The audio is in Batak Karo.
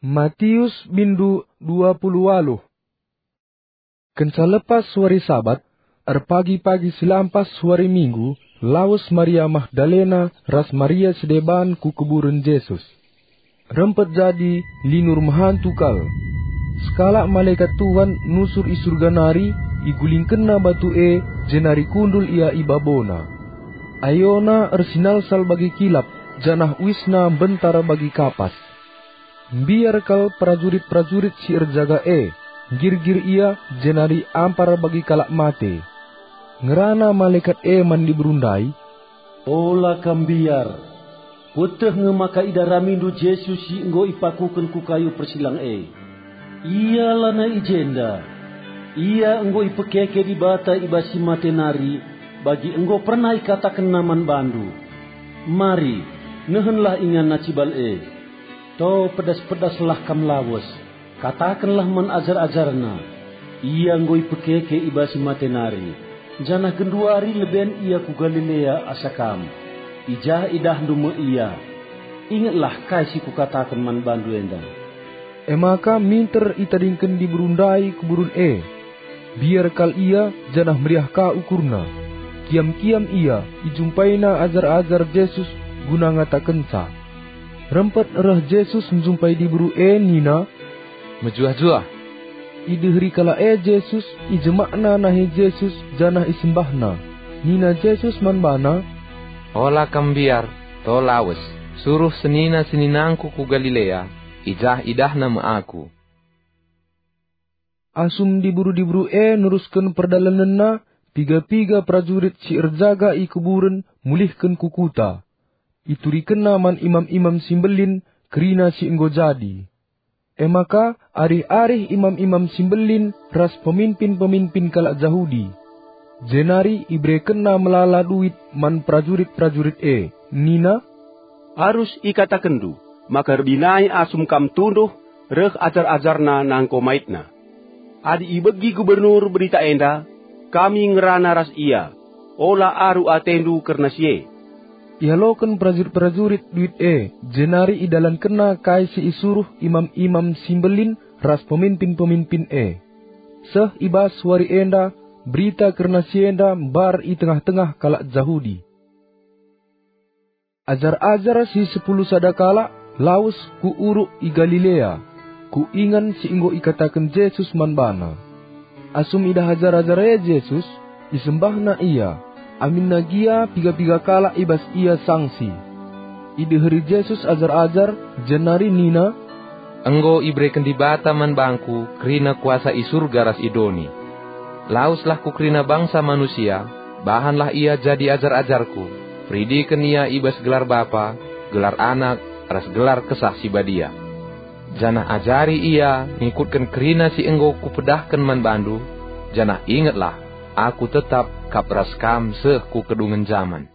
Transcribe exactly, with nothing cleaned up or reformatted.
Matius bindu dua puluh waluh. Kenca lepas wari Sabat, erpagi-pagi si lampas wari Minggu, lawes Maria Magdalena ras Maria si deban ku kuburen Jesus. Rempet jadi linur mehantu kal. Sekalak malekat Tuhan nusur i Surga nari, igulingkenna batu e, jenari kundul ia i babona. Ayona ersinalsal bagi kilap, janah uisna mbentar bagi kapas. Mbiar kal perajurit-perajurit si erjaga e, nggirgir ia, jenari ampar bagi kalak mate. Ngerana malekat e man diberu ndai, "Ola kam mbiar. Kueteh nge maka idaramindu Jesus si enggo ipakuken ku kayu persilang e. Ia lanai i jenda. Ia enggo ipekeke Dibata i bas si mate nari, bagi enggo pernah ikatakenNa man bandu. Mari, nehenlah inganNa cibal e. To pedas-pedaslah kam lawes. Katakenlah man ajar-ajarNa, 'Ia enggo ipekeke i bas si mate nari, janah genduari leben Ia ku Galilea asa kam. I jah idahndu me Ia.' Ingetlah kai si kukataken man bandu enda." E maka minter itadingken diberu ndai kuburen e. Mbiar kal ia, janah meriah ka ukurna. Kiam-kiam ia, ijumpaina ajar-ajar Jesus guna ngatakenca. Rempet reh Jesus njumpai diberu e nina, "Mejuah-juah." Ideheri kalak e Jesus, ijemakna nahe Jesus, janah isembahna. Nina Jesus man bana, "Ola kam mbiar, to lawes, suruh senina-seninangKu ku Galilea, i jah idahna me Aku." Asum diberu-diberu e nerusken perdalanenna, piga-piga perajurit si erjaga i kuburen mulihken ku kuta. Iturikenna man imam-imam si mbelin kerina si enggo jadi. E maka arih-arih imam-imam si mbelin ras peminpin-peminpin kalak Jahudi. Jenari iberekenna melala duit man perajurit-perajurit e, nina, "Arus ikatakenndu maka erbinai asum kam tunduh reh ajar-ajarNa nangko maitna. Adi ibegi gubernur berita enda, kami ngerana ras ia, ola aru atendu kerna si e." Ialoken perajurit-perajurit duit e, jenari idalankenna kai si isuruh imam-imam si mbelin ras peminpin-peminpin e. Seh i bas wari enda, berita kerna si enda mbar i tengah-tengah kalak Jahudi. Ajar-ajar si sepuluh sada kalak lawes ku uruk i Galilea, ku ingan si enggo ikataken Jesus man bana. Asum idah ajar-ajar e Jesus, isembahna ia, aminna gia piga-piga kalak i bas ia sangsi. Ideheri Jesus ajar-ajar, jenari nina, "Enggo ibereken Dibata man bangKu kerina kuasa i Surga ras i doni. Laweslah ku kerina bangsa manusia, bahanlah ia jadi ajar-ajarKu, peridiken ia i bas gelar Bapa, gelar Anak, ras gelar Kesah Si Badia. Janah ajari ia ngikutken kerina si enggo Kupedahken man bandu, janah ingetlah, Aku tetap kap ras kam seh ku kedungen jaman."